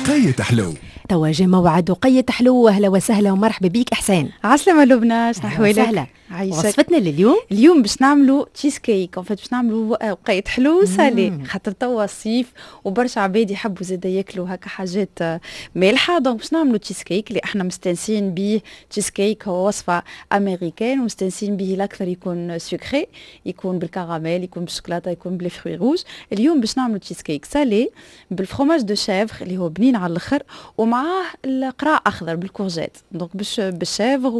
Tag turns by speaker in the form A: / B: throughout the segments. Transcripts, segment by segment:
A: وقيت حلو.
B: توا جا موعد وقيت حلو. اهلا وسهلا ومرحبا بيك احسان.
C: عسلامة لبنى، شنو احوالك؟
B: وسهلا.
C: عايشك.
B: وصفتنا لليوم؟
C: اليوم باش نعملوا cheesecake، en fait باش نعملوا وقيت حلو salé، خاطر توا الصيف وبرشا عباد يحبوا زادا ياكلوا هكا حاجات مالحه. donc باش نعملوا تشيز كيك اللي احنا مستانسين بيه. تشيز كيك هو وصفه américaine ومستانسين به، الاكثر يكون sucré، يكون بالكراميل، يكون بالشوكولاته، يكون ب les fruits rouges. اليوم باش نعملوا cheesecake salé بال fromage de chèvre اللي هو بنين على الاخر، ومعاه القراع اخضر بال courgette، donc باش بال chèvre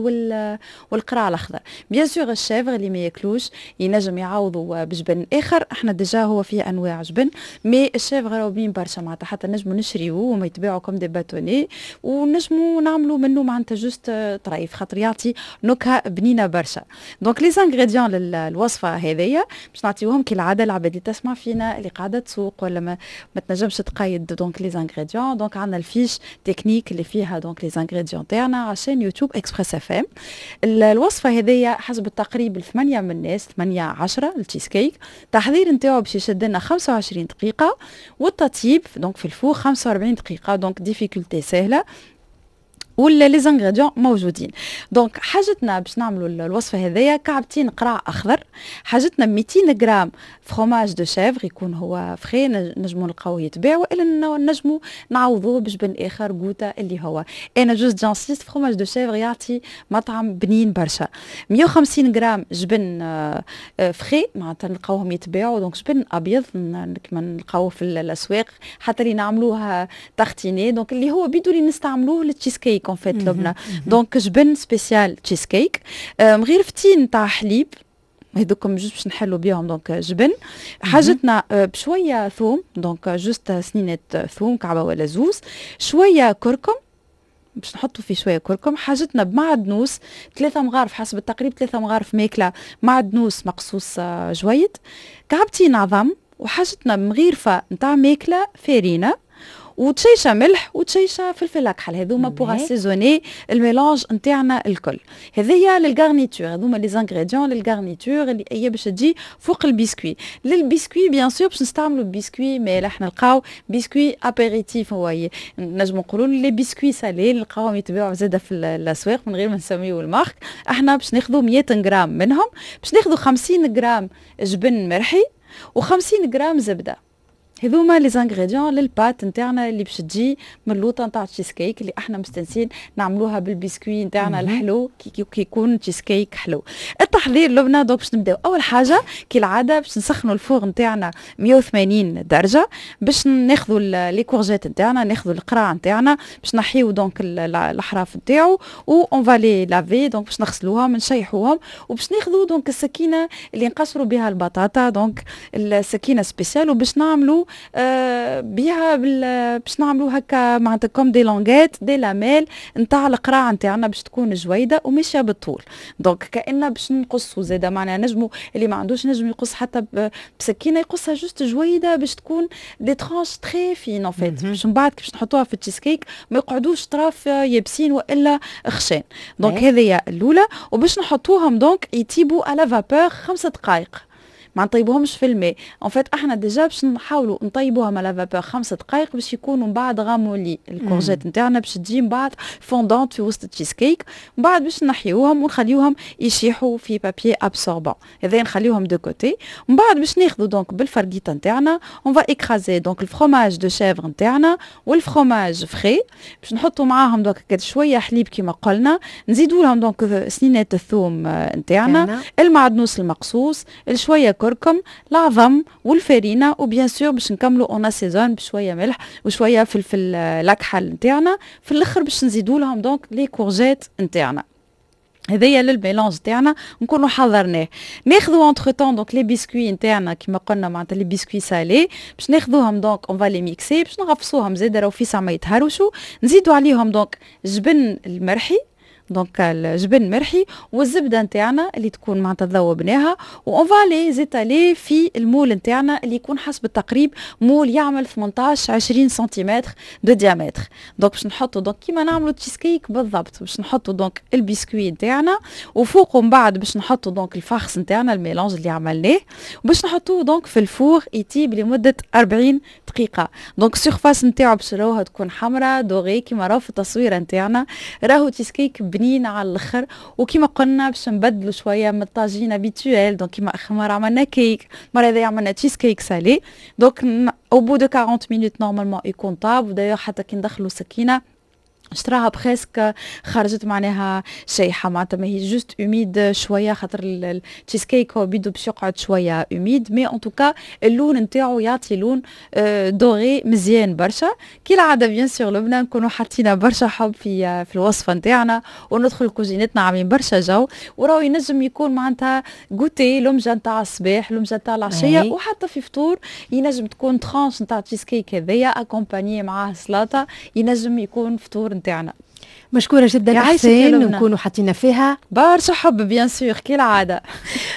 C: والقراع الاخضر. bien sûr ال chèvre اللي ما ياكلوش ينجم يعوضوا بجبن اخر، احنا déjà هو فيه انواع جبن، mais ال chèvre راهو بنين برشا، معناتها حتى نجموا نشريوه وما يتباعوا comme des bâtonnets ونجموا نعملوا منه معناتها juste طريف، خاطر يعطي نكهة بنينه برشا. donc les ingrédients للوصفه هذيا باش نعطيوهم كالعادة العباد اللي تسمع فينا، اللي قاعدة تسوق ولا ما تنجمش تقيد donc les ingrédients. donc عندنا ال fiche technique اللي فيها donc les ingrédients تاعنا على chaîne YouTube Express FM. الوصفة هذيا حسب التقريب الثمانية من الناس، 8 10 التشيز كيك. التحضير نتاعو باش يشد لنا 25 دقيقة، والتطيب donc في ال four 45 دقيقة، donc difficulté سهلة ولا les ingrédients موجودين. donc حاجتنا باش نعملوا الوصفة هذيا: كعبتين قرع اخضر، حاجتنا 200 غرام fromage de chèvre يكون هو frais، نجمو نلقاوه يتباع، والا نجمو نعوضوه بجبن اخر، قوتا اللي هو. انا juste j'insiste، fromage de chèvre يعطي مطعم بنين برشا. 150 غرام جبن frais، معناتها نلقاوهم يتباعوا، donc جبن ابيض كما نلقاوه في الاسواق، حتى اللي نعملوها tartiner، donc اللي هو بيدو اللي نستعملوه لل cheesecake en fait لبنى. donc جبن spécial cheesecake، مغيرفتين تاع حليب، هذوكم juste باش نحلوا بيهم donc جبن. حاجتنا بشوية ثوم، donc juste سنينات ثوم، كعبه ولا زوز، شوية كركم، باش نحطوا فيه شوية كركم. حاجتنا بمعدنوس، 3 مغارف حسب التقريب، 3 مغارف ماكله معدنوس مقصوص جويد، كعبتين عظم، وحاجتنا مغيرفه نتاع ماكله فارينه، وتشيشه ملح وتشيشه فلفل اكحل. هذوما pour assaisonner ال mélange نتاعنا الكل. هذيا لل garniture، هذوما les ingrédients لل garniture اللي هي باش تجي فوق ال biscuit. لل biscuit bien sûr باش نستعملوا بسكوي مالح، نلقاو biscuit apéritif، هو نجمو نقولوا les biscuits salés نلقاوهم يتباعوا زاده في الاسواق من غير ما نسميو ال marque. احنا باش ناخذوا 100 غرام منهم، باش ناخذوا 50 غرام جبن مرحي و50 غرام زبده. هذوما les ingrédients لل pâte نتاعنا اللي باش تجي من اللوطه نتاع تشيز كيك اللي احنا مستنسين نعملوها بالبسكوي نتاعنا الحلو كي يكون تشيز كيك حلو. التحضير لبنى، donc باش نبداو اول حاجة كالعادة باش نسخنوا ال four نتاعنا 180 درجه. باش ناخذوا les courgettes نتاعنا، ناخذوا القراع نتاعنا، باش نحيو donc الاحراف نتاعو و on va les laver، donc باش نغسلوهم، نشيحوهم، وباش ناخذوا donc السكينة اللي نقشروا بها البطاطا، donc السكينة spéciale، وباش نعملوا بها باش نعملوا هكا معناتها comme des languettes، des lamelles نتاع القراع نتاعنا، باش تكون جويده وماشية بالطول، donc كأننا باش نقصوا زاده. معناها نجموا، اللي ما عندوش نجم يقص حتى بسكينه، يقصها juste جويده باش تكون des tranches très fines en fait، باش من بعد باش نحطوها في التشيز كيك ما يقعدوش طراف يابسين والا خشان. donc هذه الاولى. وباش نحطوهم donc يطيبوا à la vapeur 5 دقائق، ما نطيبوهمش في الماء. en fait احنا déjà باش نحاولوا نطيبوهم à la vapeur 5 دقائق باش يكونوا من بعد ramollis ال courgettes نتاعنا، باش تجي من بعد fondante في وسط التشيز كيك. من بعد باش نحيوهم ونخليوهم يشيحوا في papier absorbant، هذا نخليوهم de côté. من بعد باش ناخذوا donc بالفرقيطه نتاعنا on va écraser donc ال fromage de chèvre نتاعنا وال fromage frais. باش نحطوا معاهم donc شوية حليب كما قلنا، نزيدوا لهم donc سنينات الثوم نتاعنا، المعدنوس المقصوص، شوية كركم، العظم والفارينه، و bien sûr باش نكملوا on assaisonne بشوية ملح وشوية فلفل الاكحل نتاعنا. في الاخر باش نزيدوا لهم donc les courgettes نتاعنا. هذايا لل mélange تاعنا نكونوا حضرناه. ناخذوا entre-temps donc les biscuits نتاعنا كيما قلنا، معناتها les biscuits salés، باش ناخذوهم donc on va les mixer، باش نغفصوهم زاد راهو فيسع ما يتهرشوا. نزيدوا عليهم donc جبن المرحي، donc الجبن مرحي والزبده نتاعنا اللي تكون معناتها ذوبناها، و on va les étaler في ال moule نتاعنا اللي يكون حسب التقريب moule يعمل 18 20 centimètres de diamètre. donc باش نحطوا donc كيما نعملوا تشيز كيك بالضبط، باش نحطوا donc ال biscuit نتاعنا، وفوقه من بعد باش نحطوا donc ال farce نتاعنا، ال mélange اللي عملناه، وباش نحطوه donc في ال four يطيب لمدة 40 دقيقه. donc surface نتاعو باش راوها تكون حمراء dorée كيما راهو في التصويره نتاعنا. راهو تشيز كيك بنين على الاخر، وكيما قلنا باش نبدلوا شوية من الطاجين habituel. donc كيما اخر مرة عملنا كيك، المرة هذه عملنا cheesecake salé. donc au bout de 40 minutes normalement يكون طاب، ودايوغ حتى كي ندخلوا سكينة شتراها presque خرجت معناها شايحه، معناتها ما هي juste humide شويه، خاطر التشيز كيك هو بيدو باش يقعد شوية humide، mais en tout cas اللون نتاعو يعطي لون doré مزيان برشا. كي العادة bien sûr لبنى، نكونوا حاطين برشا حب في الوصفة نتاعنا وندخل كوزينتنا عاملين برشا جو، وراهو ينجم يكون معناتها goûter، لمجه نتاع الصباح، لمجه نتاع العشيه، وحتى في فطور ينجم تكون tranche نتاع تشيز كيك هذيا accompagnée معاه سلطه، ينجم يكون فطور نتاعنا.
B: مشكورة جدا حسين، ونكونوا حطينا فيها
C: برشا حب bien sûr كالعادة.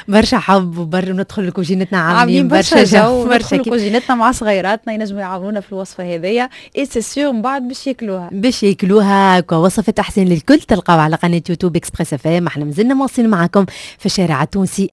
B: برشا حب وبر ندخل لكوجينتنا عاملين برشا جو.
C: برشا كوجينتنا مع صغيراتنا، ينجموا يعاونونا في الوصفة هذيا et c'est sûr من بعد باش ياكلوها.
B: باش ياكلوها. وصفة احسن للكل تلقاو على قناة يوتيوب Express FM. احنا مازلنا مواصلين معكم في الشارع التونسي.